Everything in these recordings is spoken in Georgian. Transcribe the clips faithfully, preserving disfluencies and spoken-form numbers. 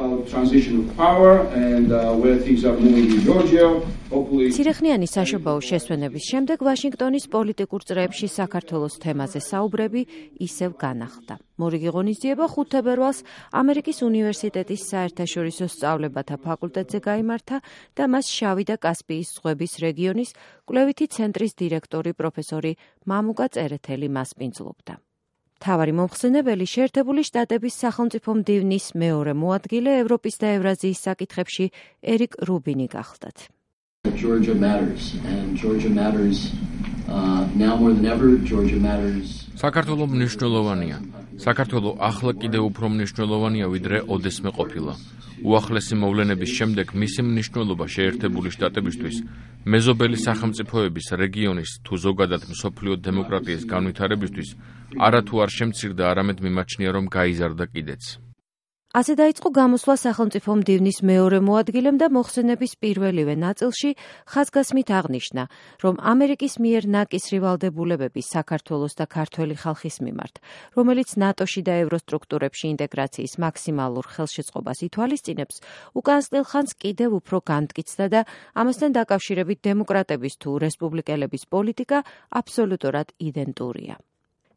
about transition of power and uh, where things are moving in Georgia. ცირეხნიანი საშობაო შესვენების შემდეგ ვაშინგტონის პოლიტიკურ წრეებში საქართველოს თემაზე საუბრები ისევ განახლდა. მორიგი ღონისძიება ხუთ თებერვალს ამერიკის უნივერსიტეტის საერთაშორისო სწავლებათა ფაკულტეტზე გაიმართა და მას შავი და კასპიის ზღვების რეგიონის კვლევითი ცენტრის დირექტორი პროფესორი მამუკა წერეთელი მასპინძლობდა. მთავარი მომხსენებელი შეერთებული შტატების სახელმწიფო მდივნის მეორე მოადგილე ევროპის და ევრაზიის საკითხებში ერიკ რუბინი გახლდათ. Georgia matters and Georgia matters uh, now more than ever. Georgia matters. საქართველო მნიშვნელოვანია. საქართველო ახლა კიდევ უფრო მნიშვნელოვანია ვიდრე ოდესმე ყოფილა. უახლესი მოვლენების შემდეგ მისი მნიშვნელობა შეერთებული შტატებისთვის, მეზობელი სახელმწიფოების, რეგიონის თუ ზოგადად მსოფლიო დემოკრატიის განვითარებისთვის არათუ არ შემცირდა, არამედ მიმაჩნია, რომ გაიზარდა კიდეც. ასე დაიწყო გამოსვლა სახელმწიფო მდივნის მეორე მოადგილემ და მოხსენების პირველივე ნაწილში ხაზგასმით აღნიშნა, რომ ამერიკის მიერ ნაკისრი ვალდებულებები საქართველოს და ქართველი ხალხის მიმართ, რომელიც ნატოში და ევროსტრუქტურებში ინტეგრაციის მაქსიმალურ ხელშეწყობას ითვალისწინებს, უკანასკნელ ხანს კიდევ უფრო განმტკიცდა და ამასთან დაკავშირებით დემოკრატების თუ რესპუბლიკელების პოლიტიკა აბსოლუტურად იდენტურია.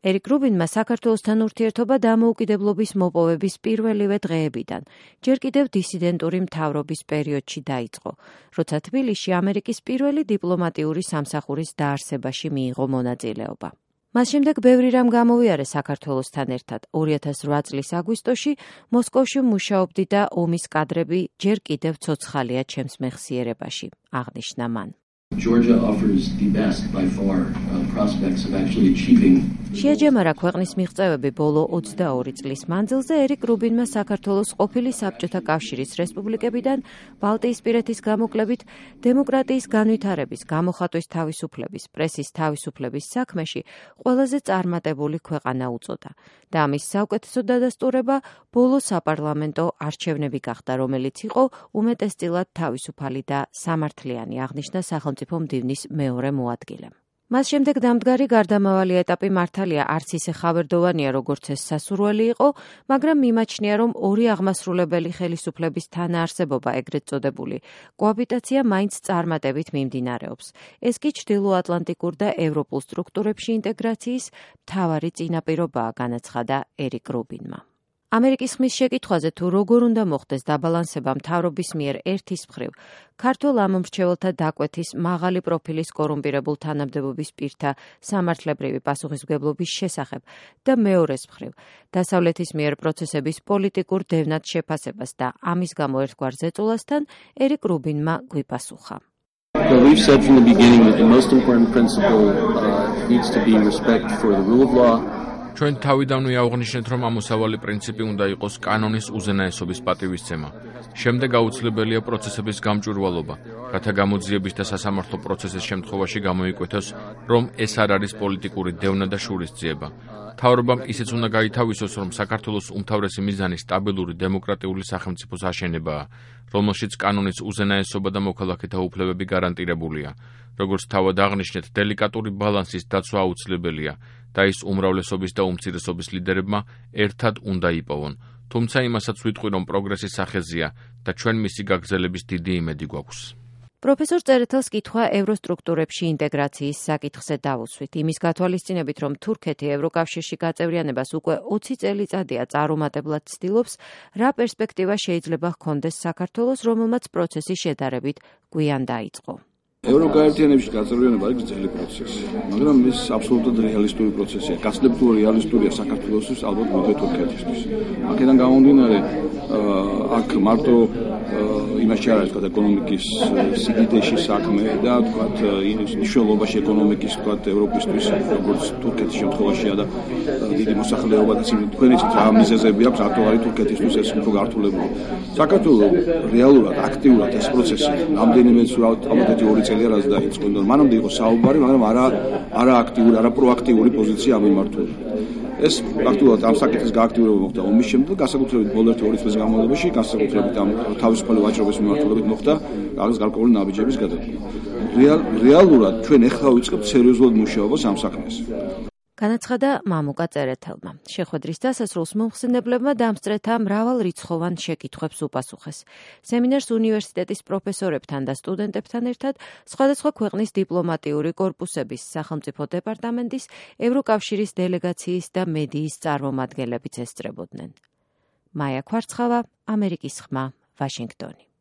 ერიკ რუბინმა საქართველოსთან ურთიერთობა დამოუკიდებლობის მოპოვების პირველივე დღეებიდან, ჯერ კიდევ დისიდენტური მთავრობის პერიოდში დაიწყო, როცა თბილისში ამერიკის პირველი დიპლომატიური სამსახურის დაარსებაში მიიღო მონაწილეობა. მას შემდეგ ბევრი რამ გამოვიარეს საქართველოსთან ერთად. ორი ათას რვა წლის აგვისტოში მოსკოვში მუშაობდი და ომის კადრები ჯერ კიდევ ცოცხალია ჩემს მეხსიერებაში, აღნიშნა მან. Georgia offers the best by far uh, prospects of actually achieving. შეაჯამარა ქვეყნის მიღწევები ბოლო ოცდაორი წლის მანძილზე ერიკ რუბინმა საქართველოს ყოფილი საბჭოთა კავშირის რესპუბლიკებიდან ბალტიისპირეთის გამოკლებით დემოკრატიის განვითარების, გამოხატვის თავისუფლების, პრესის თავისუფლების საქმეში ყველაზე წარმატებული ქვეყანა უწოდა და ამის საუკეთესო დადასტურება ბოლო საპარლამენტო არჩევნები გახდა, რომელიც იყო უმეტესწილად თავისუფალი და სამართლიანი, აღნიშნა სახელმწიფო მდივნის მეორე მოადგილემ. მას შემდეგ დამდგარი გარდამავალი ეტაპი მართალია არც ისე ხავერდოვანია, როგორც ეს სასურველი იყო, მაგრამ მიმაჩნია, რომ ორი აღმასრულებელი ხელისუფლების თანაარსებობა, ეგრეთ წოდებული კოაბიტაცია მაინც წარმატებით მიმდინარეობს. ეს კი ჩრდილოატლანტიკურ და ევროპულ სტრუქტურებში ინტეგრაციის მთავარი წინაპირობაა, განაცხადა ერიკ რუბინმა. ამერიკის ხმის შეკითხვაზე თუ როგორ უნდა მოხდეს დაბალანსება მთავრობის მიერ ერთის მხრივ ქართულ ამომრჩეველთა დაკვეთის მაღალი პროფილის კორუმპირებულ თანამდებობის პირთა სამართლებრივი პასუხისმგებლობის შესახებ და მეორეს მხრივ დასავლეთის მიერ პროცესების პოლიტიკურ დევნად შეფასებას და ამის გამო ერთგვარ ზეწოლასთან ერიკ რუბინმა გვიპასუხა. Well, we've said from the beginning that the most important principle uh, needs to be respect for the rule of law. ჩვენ თავიდანვე აღვნიშნეთ, რომ ამოსავალი პრინციპი უნდა იყოს კანონის უზენაესობის პატივისცემა. შემდეგ აუცილებელია პროცესების გამჭვირვალობა, რათა გამოძიების და სასამართლო პროცესის შემთხვევაში გამოიკვეთოს, რომ ეს არ არის პოლიტიკური დევნა და შურისძიება. მთავრობამ ისიც უნდა გაითავისოს, რომ საქართველოს უმთავრესი მიზანი სტაბილური დემოკრატიული სახელმწიფოს აშენებაა, რომელშიც კანონის უზენაესობა და მოქალაქეთა უფლებები გარანტირებულია. როგორც თავად აღნიშნეთ, დელიკატური ბალანსის დაცვა აუცილებელია და ის უმრავლესობის და უმცირესობის ლიდერებმა ერთად უნდა იპოვონ. თუმცა იმასაც ვიტყვი, რომ პროგრესის სახეზია და ჩვენ მისი გაგრძელების დიდი იმედი გვაქვს. პროფესორ წერეთელს კითხვა ევროსტრუქტურებში ინტეგრაციის საკითხზე დავუსვით. იმის გათვალისწინებით, რომ თურქეთი ევროკავშირში გაწევრიანებას უკვე ოცი წელიწადია წარუმატებლად ცდილობს, რა პერსპექტივა შეიძლება ჰქონდეს საქართველოს, რომელმაც პროცესი შედარებით გვიან დაიწყო. ევროკაერთიანებაში გაწევრიანება არის გრძელი პროცესი, მაგრამ ეს აბსოლუტურად რეალისტური პროცესია. გასწრებულ რეალისტურია საქართველოსთვის, ალბათ მოდე თურქეთისთვის. აქედან გამომდინარე, აქ მარტო იმაში არ არის თქვა ეკონომიკის სიდიდეში საქმე და თქვა მნიშვნელობაში ეკონომიკის თქვა ევროპისთვის, როგორც თურქეთის შემთხვევაშია და დიდი მოსახლეობა და თქვენიც რა მიზეზები აქვს აქტუალური თურქეთისთვის ეს უფრო გართულებული. საქართველოს რეალურად აქტიურად ეს პროცესი რამდენიმე ალბათ ორი წელი რაც დაიწყო, მანამდე იყო საუბარი, მაგრამ არა არა აქტიური, არა პროაქტიული პოზიცია ამემართული. ეს აქტიურად ამ საკითხის გააქტიურება მოხდა ომის შემდეგ, განსაკუთრებით ბოლო ერთი ორი წლის განმავლობაში, განსაკუთრებით ამ თავისუფალი ვაჭრობის მიმართულებით მოხდა რაღაც გარკვეული ნაბიჯების გადადგმა. რეალურად ჩვენ ეხლა ვიწყებთ სერიოზულად მუშაობას ამ საქმეზე. განაცხადა მამუკა წერეთელმა. შეხვედრის დასასრულს მომხსენებლებმა დამსწრეთა მრავალრიცხოვან შეკითხვებს უპასუხეს. სემინარს უნივერსიტეტის პროფესორებთან და სტუდენტებთან ერთად სხვადასხვა ქვეყნის დიპლომატიური კორპუსების, სახელმწიფო დეპარტამენტის, ევროკავშირის დელეგაციის და მედიის წარმომადგენლებიც ესწრებოდნენ. მაია ქვარცხავა, ამერიკის ხმა, ვაშინგტონი.